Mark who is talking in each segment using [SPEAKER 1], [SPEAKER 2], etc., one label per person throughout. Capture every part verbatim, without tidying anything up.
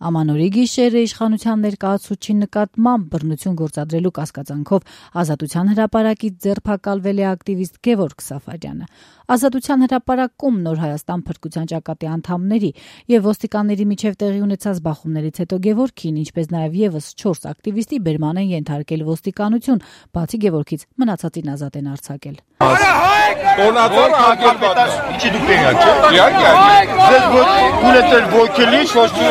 [SPEAKER 1] Ամանորի գիշերը իշխանության ներկայացուցչի նկատմամբ բռնություն գործադրելու կասկածանքով Ազատության հրապարակից ձերբակալվել է ակտիվիստ Գևորգ Սաֆարյանը։ Ազատության հրապարակում Նոր Հայաստան փրկության ճակատի անդամների եւ ոստիկանների միջև տեղի ունեցած բախումներից հետո Գևորգին, ինչպես նաեւ եւս չորս ակտիվիստի բերման են ենթարկել ոստիկանություն, բացի Գևորգից մնացածին ազատ են արձակել։
[SPEAKER 2] Տոնածառը հակերպատար, ինչի դուք տեղյակ չեք։ Իհարկե, ձեզ գունեցել ոգելի, ոչ մի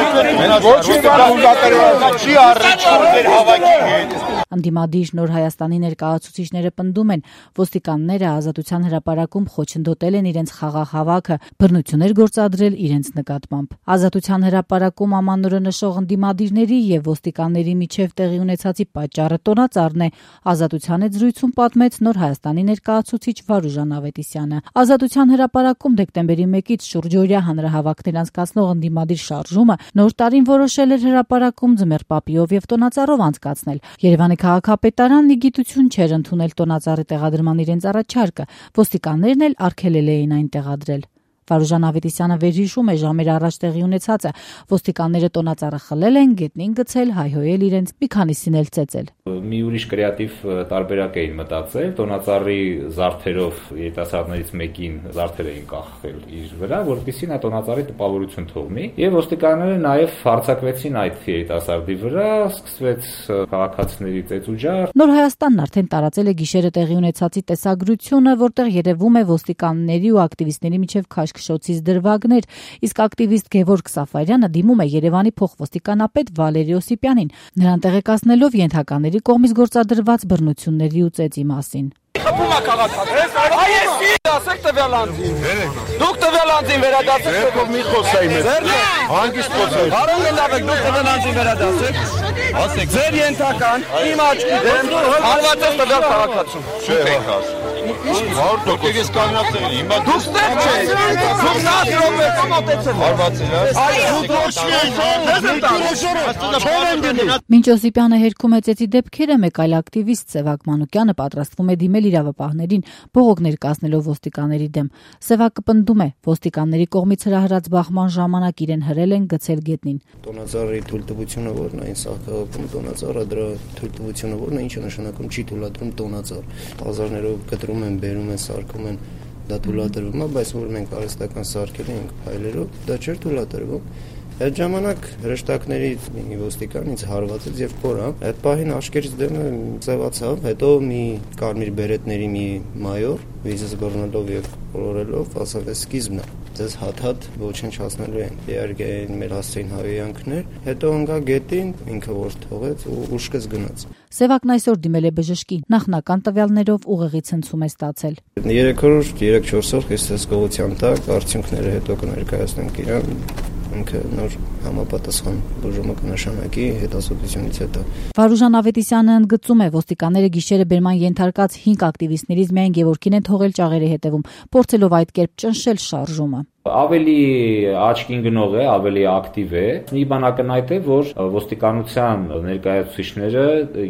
[SPEAKER 2] չի առնչվում ձեր հավաքի հետ։
[SPEAKER 1] Անդիմադիր Նոր Հայաստանի ներկայացուցիչները պնդում են, ոստիկանները Ազատության հրապարակում խոչընդոտել են իրենց խաղաղ հավաքը, բռնություններ գործադրել իրենց նկատմամբ։ Ազատության հրապարակում ամանորը նշող անդիմադիրների եւ ոստիկանների միջև տեղի ունեցածի պատճառը տոնածառն է, Ազատության հետ զրույցում պատմեց Նոր Հայաստանի ներկայացուցիչ Վարուժան Ավետիսյանը։ Ազատության հրապարակում դեկտեմբերի մեկից շուրջօրյա հանրահավաքներ անցկացնող անդիմադիր շարժումը նոր տարին որոշել էր հրապարակում ձմեռ պապիով եւ տոնածառով անցկացնել։ Երևանի քաղաքապետարանն ի գիտություն չէր ընդունել տոնածառի տեղադրման իրենց առաջարկը, ոստիկաններն էլ արգելել էին այն տեղադրել։ Վարուժան Ավետիսյանը վերհիշում է ժամեր առաջ տեղի ունեցածը, ոստիկանները տոնածառը խլել են, գետնին գցել, հայհոյել իրենց, մի քանիսին էլ ծեծել։
[SPEAKER 3] Մի ուրիշ կրեատիվ տարբերակ էին մտածել, տոնածառի զարդերով երիտասարդներից մեկին զարդեր էին կախել իր վրա, որպեսզի նա տոնածառի տպավորություն թողնի, եւ ոստիկանները նաեւ հարձակվեցին այդ երիտասարդի վրա, սկսվեց քաղաքացիների ծեծուջար։
[SPEAKER 1] Նոր Հայաստանն արդեն տարածել է գիշերը տեղի ունեցածի տեսագրությունը, որտեղ երևում է ոստիկանների ու ակտիվիստների միջև քաշքշոցից դրվագներ, իսկ ակտիվիստ Գևորգ Սաֆարյանը դիմում է Երևանի փոխոստիկանապետ Վալերի Օսիպյանին, նրան տեղեկացնելով ենթակաների կողմից գործադրված բռնությունների ու ծեծի մասին։
[SPEAKER 4] Խփում է քաղաքացիներին։ Այսի ասեք տվյալ անձին։ Դուք տվյալ անձին վերադասեք,
[SPEAKER 2] Ձերքով մի խոսայի մեզ։ Հանգիստ խոսայի։
[SPEAKER 4] Արոն լավ եք, դուք տվյալ անձին վերադասեք։ Ասեք, ձեր ենթական իմ աչքի դեմ հարված է տվյալ քաղաքացուն։
[SPEAKER 2] Չէ, հաս։ Հարյուր տոկոս ես կանացել, հիմա
[SPEAKER 4] Դուք ստեղ չեք։ Դուք նա րոպե կմոտեցել։
[SPEAKER 2] հարվածել ես։
[SPEAKER 1] Մինչ Օսիպյանը հերքում է ծեծի դեպքերը, մեկ այլ ակտիվիստ Սևակ Մանուկյանը պատրաստվում է դիմել իրավապահներին, բողոք ներկայացնելով ոստիկանների դեմ։ Սևակը պնդում է, ոստիկանների կողմից հրահրած բախման ժամանակ իրեն հրել են գցել գետնին։
[SPEAKER 5] Տոնածառի թույլտվությունը որն է, այն սահքաղաքում տոնածառը դրա թույլտվությունը որն է, ինչը նշանակում չի թույլատրում տոնածառ։ Բազարներով կտրում են, բերում են, սարքում են, դա թույլատրվում է, բայց որ մենք արհեստական սարքել ենք փայլերով, դա չէր թույլատրվում։ Այդ ժամանակ հրեշտակների մի ոստիկան ինձ հարվածեց եւ կորավ։ Այդ պահին աշկերտից դեմը ծեվացավ, հետո մի կարմիր բերետների մի մայոր վիզս բռնելով եւ կոլորելով ասավ է սկիզբն է։ Ձեզ հատ-հատ ոչնչացնելու են։ Իհարկե մեր հասցեին հավյանքներ, հետո ընկա գետին, ինքը որ թողեց ու ուշքս գնաց։
[SPEAKER 1] Սևակն այսօր դիմել է բժշկի, նախնական տվյալներով ուղեղի ցնցում է ստացել։
[SPEAKER 5] Երեք օր, երեք-չորս օր հիսուսկողության տակ արդյունքները հետո կներկայացնենք իրան։ Ինքը նոր համապատասխան բուժումը կնշանակի հետազոտությունից հետո։
[SPEAKER 1] Վարուժան Ավետիսյանը ընդգծում է, ոստիկանները գիշերը բերման ենթարկած հինգ ակտիվիստներից միայն Գևորգին են թողել ճաղերի հետևում, փորձելով այդ կերպ ճնշել շարժումը։
[SPEAKER 3] Ավելի աչքին գնող է, ավելի ակտիվ է։ Մի բան ակնհայտ է, որ ոստիկանության ներկայացուցիչները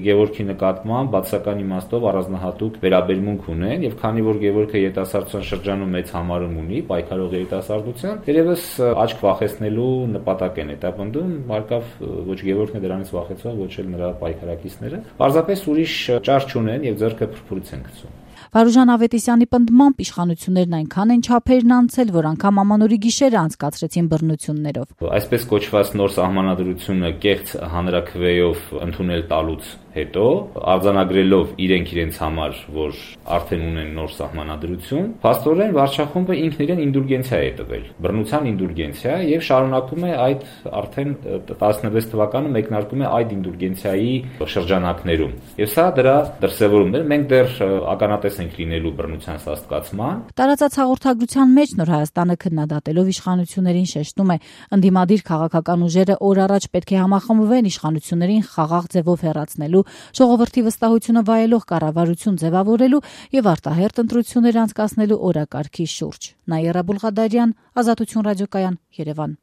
[SPEAKER 3] Գևորգի նկատմամբ բացական իմաստով առանձնահատուկ վերաբերմունք ունեն, եւ քանի որ Գևորգը երիտասարդության շրջանում մեծ համարում ունի, պայքարող երիտասարդության, երևս աչք վախեցնելու նպատակ են հետապնդում, հարկավ ոչ Գևորգն է դրանից վախեցող, ոչ էլ նրա պայքարակիցները։ Պարզապես ուրիշ ճար չունեն եւ ձեռքը փրփուրից են գցում։
[SPEAKER 1] Վարուժան Ավետիսյանի պնդմամբ իշխանություններն այնքան են չափերն անցել, որ անգամ ամանորի գիշերը անցկացրեցին բռնություններով։
[SPEAKER 3] Այսպես կոչված նոր սահմանադրությունը կեղծ հանրաքվեով ընդունել տալուց հետո, արձանագրելով իրենք իրենց համար, որ արդեն ունեն նոր սահմանադրություն, փաստորեն վարչախումբը ինքն իրեն ինդուլգենցիա է տվել, բռնության ինդուլգենցիա եւ շարունակում է այդ արդեն տասնվեց թվականը մեկնարկում է այդ ինդուլգենցիայի շրջանակներում։ Եվ սա դրա դրսևորումն է, մենք դեռ ականատես ենք լինելու բռնության սաստկացման։
[SPEAKER 1] Տարածած հաղորդագրության մեջ Նոր Հայաստանը քննադատելով իշխանություններին շեշտում է, ընդդիմադիր քաղաքական ուժերը օր առաջ պետք է համախմբվեն իշխանություններին խաղաղ ձևով հեռացնելու, ժողովրդի վստահությունը վայելող կառավարություն ձևավորելու եւ արտահերթ ընտրություններ անցկացնելու օրակարգի շուրջ։ Նաիրա Բուլղադարյան, Ազատություն ռադիոկայան, Երևան։